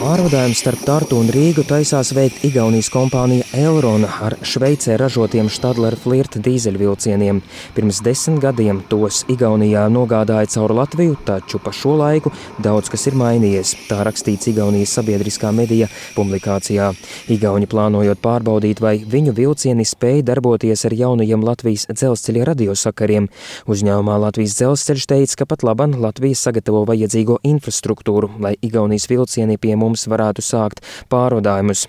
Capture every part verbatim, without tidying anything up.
Pārvadājumu starp Tartu un Rīgu taisās veikt Igaunijas kompānija Elrona ar Šveicē ražotiem Stadler Flirt dīzeļvilcieniem. Pirms desmit gadiem tos Igaunijā nogādāja caur Latviju, taču pa šo laiku daudz kas ir mainījies. Tā rakstīts Igaunijas sabiedriskā medija publikācijā. Igauni plānojot pārbaudīt, vai viņu vilcieni spēj darboties ar jaunajiem Latvijas dzelzceļa radiosakariem. Uzņēmumā Latvijas dzelzceļš teica, ka pat laban Latvija sagatavo vajadzīgo infrastruktūru, lai Igaunijas vilcieni pie mums varētu sākt pārvadājumus.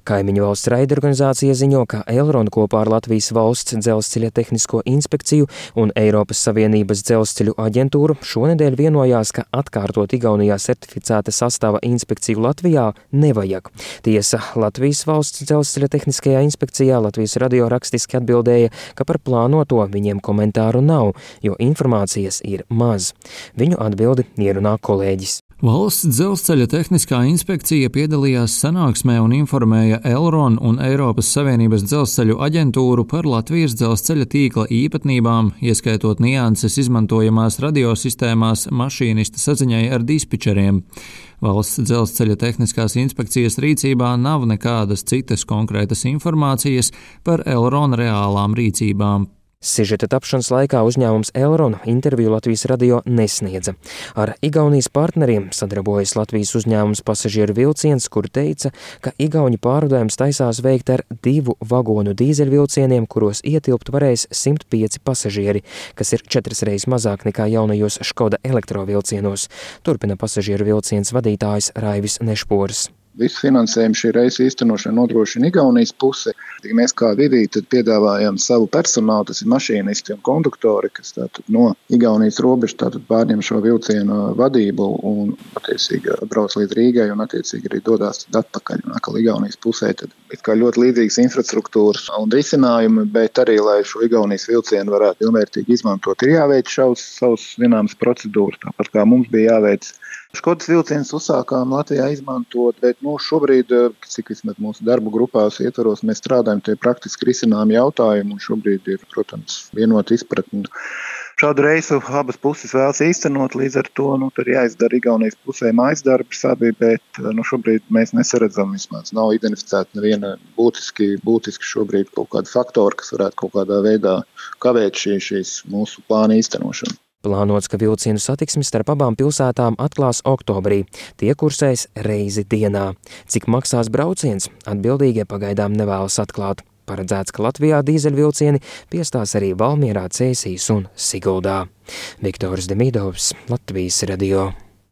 Kaimiņu valsts raidorganizācija ziņo, ka Elrona kopā ar Latvijas valsts dzelzceļa tehnisko inspekciju un Eiropas Savienības dzelzceļu aģentūru šonedēļ vienojās, ka atkārtot Igaunijā certificēta sastāva inspekciju Latvijā nevajag. Tiesa, Latvijas valsts dzelzceļa tehniskajā inspekcijā Latvijas radio rakstiski atbildēja, ka par plānoto viņiem komentāru nav, jo informācijas ir maz. Viņu atbildi ierunā kolēģis. Valsts dzelzceļa tehniskā inspekcija piedalījās sanāksmē un informēja Elrona un Eiropas Savienības dzelzceļu aģentūru par Latvijas dzelzceļa tīkla īpatnībām, ieskaitot nianses izmantojamās radiosistēmās mašīnista saziņai ar dispečeriem. Valsts dzelzceļa tehniskās inspekcijas rīcībā nav nekādas citas konkrētas informācijas par Elrona reālām rīcībām. Sižeta tapšanas laikā uzņēmums Elrona interviju Latvijas radio nesniedza. Ar Igaunijas partneriem sadarbojas Latvijas uzņēmums Pasažieru vilciens, kur teica, ka Igauņu pārvadājums taisās veikt ar divu vagonu dīzeļvilcieniem, kuros ietilpt varēs simt pieci pasažieri, kas ir četras reizes mazāk nekā jaunajos Škoda elektrovilcienos. Turpina Pasažieru vilciens vadītājs Raivis Nešpors. Visu finansējumu šī reisa īstenošana nodrošina Igaunijas puse. Mēs kā vidī tad piedāvājam savu personālu, tas ir mašīnisti un konduktori, kas tātad no Igaunijas robežas tātad pārņem šo vilcienu vadību un attiecīgi brauc līdz Rīgai un attiecīgi arī dodās atpakaļ. Un atkal Igaunijas pusē tad ir kā ļoti līdzīgas infrastruktūras un risinājumi, bet arī, lai šo Igaunijas vilcienu varētu pilnvērtīgi izmantot, ir jāveic šaus, savus zināmas procedūras, tāpat kā mums bija jāveic. Škodas vilcienus uzsākām Latvijā izmantot, bet nu, šobrīd, cik vismaz mūsu darbu grupās ietvaros, mēs strādājam tie praktiski risinājumi jautājumi, un šobrīd ir, protams, vienota izpratne. Šādu reisu abas puses vēlas īstenot, līdz ar to nu, tur jāizdara Igaunijas pusē mājas darbs abi, bet nu, šobrīd mēs nesaredzam vismaz. Nav identificēta neviena būtiski, būtiski šobrīd kaut kāda faktora, kas varētu kaut kādā veidā kavēt šī, šīs mūsu plāna īstenošanu. Plānots, ka vilcienu satiksmi starp abām pilsētām atklās oktobrī. Tie kursēs reizi dienā. Cik maksās brauciens, atbildīgie pagaidām nevēlas atklāt. Paredzēts, ka Latvijā dīzeļvilcieni piestās arī Valmierā, Cēsīs un Siguldā. Viktors Demidovs, Latvijas radio.